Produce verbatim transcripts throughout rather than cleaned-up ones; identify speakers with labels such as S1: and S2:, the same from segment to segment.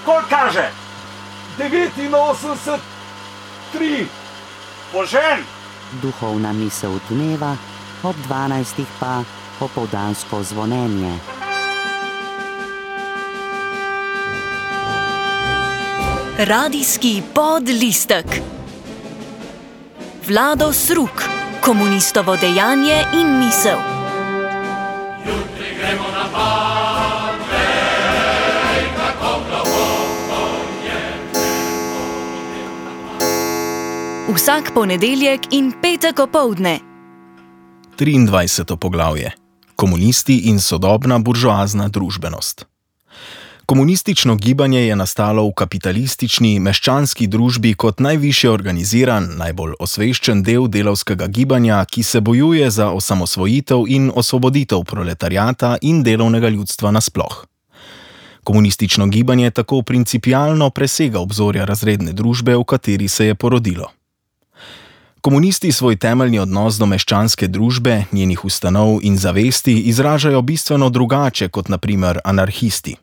S1: Koliko kaže?
S2: devetinosemdeset tri.
S1: Požen!
S3: Duhovna misel dneva, ob dvanajstih pa popoldansko zvonjenje.
S4: Radijski podlistek. Vlado Sruk, komunistovo dejanje in misel.
S5: Jutri gremo na Badvej, kako globoko je nebo.
S4: Vsak ponedeljek in petek opoldne.
S6: triindvajseto poglavje. Komunisti in sodobna buržoazna družbenost. Komunistično gibanje je nastalo v kapitalistični, meščanski družbi kot najvišje organiziran, najbolj osveščen del delavskega gibanja, ki se bojuje za osamosvojitev in osvoboditev proletariata in delovnega ljudstva nasploh. Komunistično gibanje tako principialno presega obzorja razredne družbe, v kateri se je porodilo. Komunisti svoj temeljni odnos do meščanske družbe, njenih ustanov in zavesti izražajo bistveno drugače kot na primer anarhisti.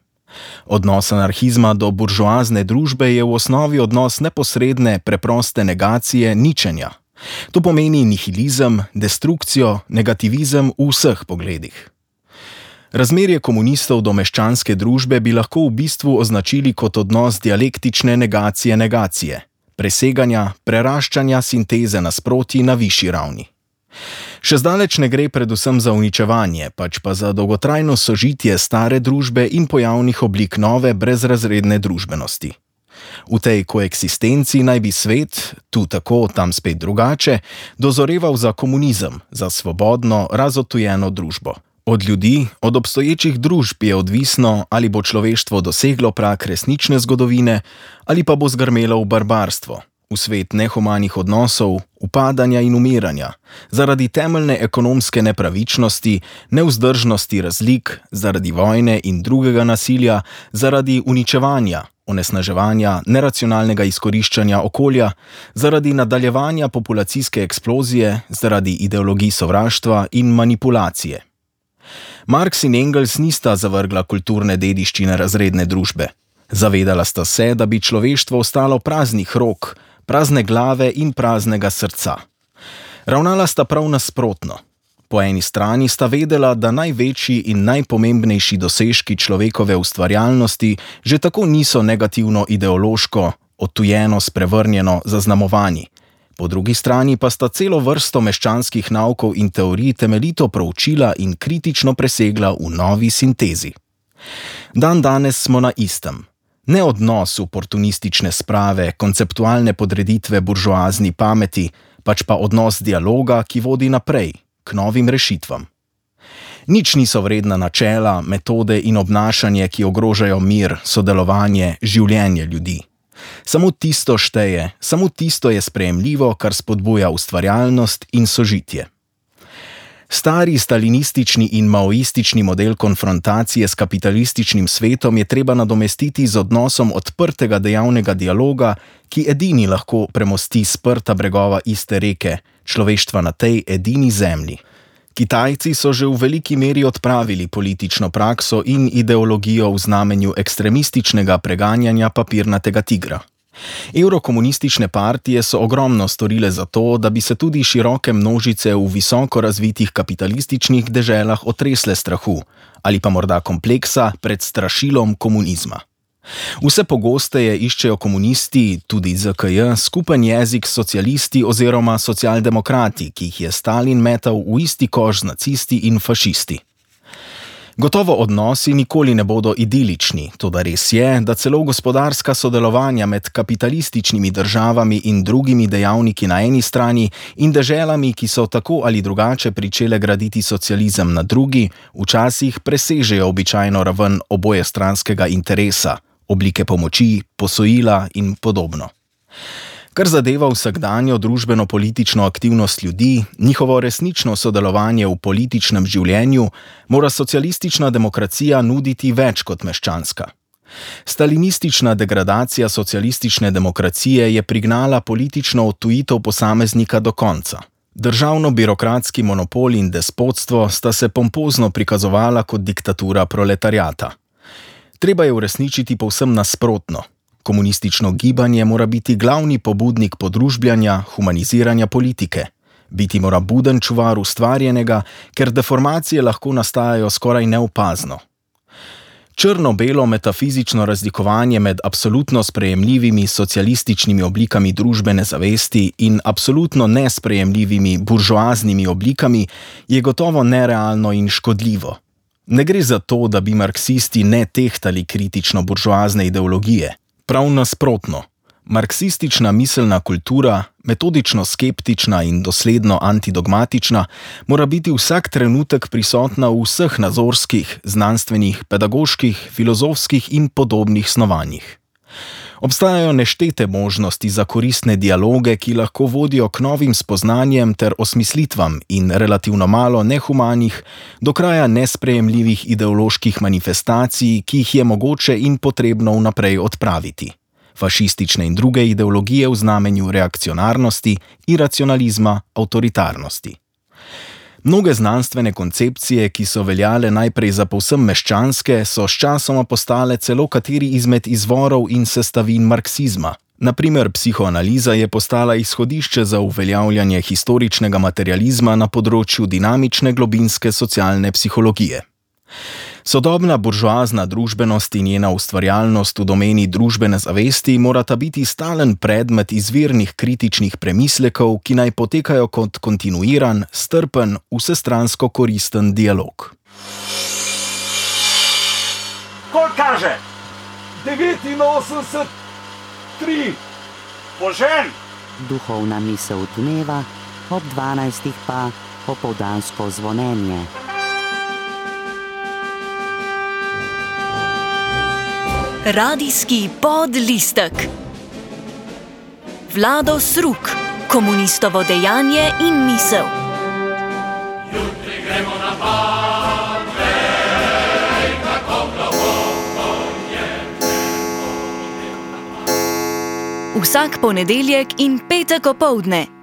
S6: Odnos anarhizma do buržoazne družbe je v osnovi odnos neposredne, preproste negacije ničenja. To pomeni nihilizem, destrukcijo, negativizem v vseh pogledih. Razmerje komunistov do meščanske družbe bi lahko v bistvu označili kot odnos dialektične negacije negacije, preseganja, preraščanja sinteze nasprotij na višji ravni. Še zdaleč ne gre predvsem za uničevanje, pač pa za dolgotrajno sožitje stare družbe in pojavnih oblik nove brezrazredne družbenosti. V tej koeksistenci naj bi svet, tu tako, tam spet drugače, dozoreval za komunizem, za svobodno, razotujeno družbo. Od ljudi, od obstoječih družb je odvisno, ali bo človeštvo doseglo prag resnične zgodovine, ali pa bo zgrmelo v barbarstvo, v svet nehumanih odnosov, upadanja in umiranja, zaradi temeljne ekonomske nepravičnosti, nevzdržnosti razlik, zaradi vojne in drugega nasilja, zaradi uničevanja, onesnaževanja, neracionalnega izkoriščanja okolja, zaradi nadaljevanja populacijske eksplozije, zaradi ideologij sovraštva in manipulacije. Marx in Engels nista zavrgla kulturne dediščine razredne družbe. Zavedala sta se, da bi človeštvo ostalo praznih rok, prazne glave in praznega srca. Ravnala sta prav nasprotno. Po eni strani sta vedela, da največji in najpomembnejši dosežki človekove ustvarjalnosti že tako niso negativno ideološko, odtujeno, sprevrnjeno zaznamovani. Po drugi strani pa sta celo vrsto meščanskih naukov in teorij temeljito proučila in kritično presegla v novi sintezi. Dan danes smo na istem. Ne odnos oportunistične sprave, konceptualne podreditve buržoazni pameti, pač pa odnos dialoga, ki vodi naprej, k novim rešitvam. Nič niso vredna načela, metode in obnašanje, ki ogrožajo mir, sodelovanje, življenje ljudi. Samo tisto šteje, samo tisto je sprejemljivo, kar spodbuja ustvarjalnost in sožitje. Stari stalinistični in maoistični model konfrontacije s kapitalističnim svetom je treba nadomestiti z odnosom odprtega dejavnega dialoga, ki edini lahko premosti sprta bregova iste reke, človeštva na tej edini zemlji. Kitajci so že v veliki meri odpravili politično prakso in ideologijo v znamenju ekstremističnega preganjanja papirnatega tigra. Evrokomunistične partije so ogromno storile za to, da bi se tudi široke množice v visoko razvitih kapitalističnih deželah otresle strahu ali pa morda kompleksa pred strašilom komunizma. Vse pogosteje iščejo komunisti, tudi Z K J, skupen jezik s socialisti oziroma socialdemokrati, ki jih je Stalin metal v isti koš z nacisti in fašisti. Gotovo odnosi nikoli ne bodo idilični, toda res je, da celo gospodarska sodelovanja med kapitalističnimi državami in drugimi dejavniki na eni strani in deželami, ki so tako ali drugače pričele graditi socializem na drugi, včasih presežejo običajno raven obojestranskega interesa, oblike pomoči, posojila in podobno. Kar zadeva vsakdanjo družbeno-politično aktivnost ljudi, njihovo resnično sodelovanje v političnem življenju, mora socialistična demokracija nuditi več kot meščanska. Stalinistična degradacija socialistične demokracije je prignala politično odtujitev posameznika do konca. Državno-birokratski monopol in despotstvo sta se pompozno prikazovala kot diktatura proletariata. Treba je uresničiti povsem nasprotno. Komunistično gibanje mora biti glavni pobudnik podružbljanja, humaniziranja politike. Biti mora buden čuvar ustvarjenega, ker deformacije lahko nastajajo skoraj neopazno. Črno-belo metafizično razlikovanje med absolutno sprejemljivimi socialističnimi oblikami družbene zavesti in absolutno nesprejemljivimi buržoaznimi oblikami je gotovo nerealno in škodljivo. Ne gre za to, da bi marksisti ne tehtali kritično buržoazne ideologije. Prav nasprotno. Marksistična miselna kultura, metodično skeptična in dosledno antidogmatična, mora biti vsak trenutek prisotna v vseh nazorskih, znanstvenih, pedagoških, filozofskih in podobnih snovanjih. Obstajajo neštete možnosti za koristne dialoge, ki lahko vodijo k novim spoznanjem ter osmislitvam in relativno malo nehumanih, do kraja nesprejemljivih ideoloških manifestacij, ki jih je mogoče in potrebno vnaprej odpraviti. Fašistične in druge ideologije v znamenju reakcionarnosti, iracionalizma, avtoritarnosti. Mnoge znanstvene koncepcije, ki so veljale najprej za povsem meščanske, so sčasoma postale celo kateri izmed izvorov in sestavin marksizma. Na primer, psihoanaliza je postala izhodišče za uveljavljanje historičnega materializma na področju dinamične globinske socialne psihologije. Sodobna buržoazna družbenost in njena ustvarjalnost v domeni družbene zavesti morata biti stalen predmet izvirnih kritičnih premislekov, ki naj potekajo kot kontinuiran, strpen, vsestransko koristen dialog.
S1: Kol kaže? devetinosemdeset tri. Požen!
S3: Duhovna misel dneva, ob dvanajstih pa popoldansko zvonjenje.
S4: Radijski podlistek. Vlado Sruk, komunistovo dejanje in misel.
S5: Jutri gremo na pad, vej, kako globoko je
S4: Vsak ponedeljek in petek opoldne.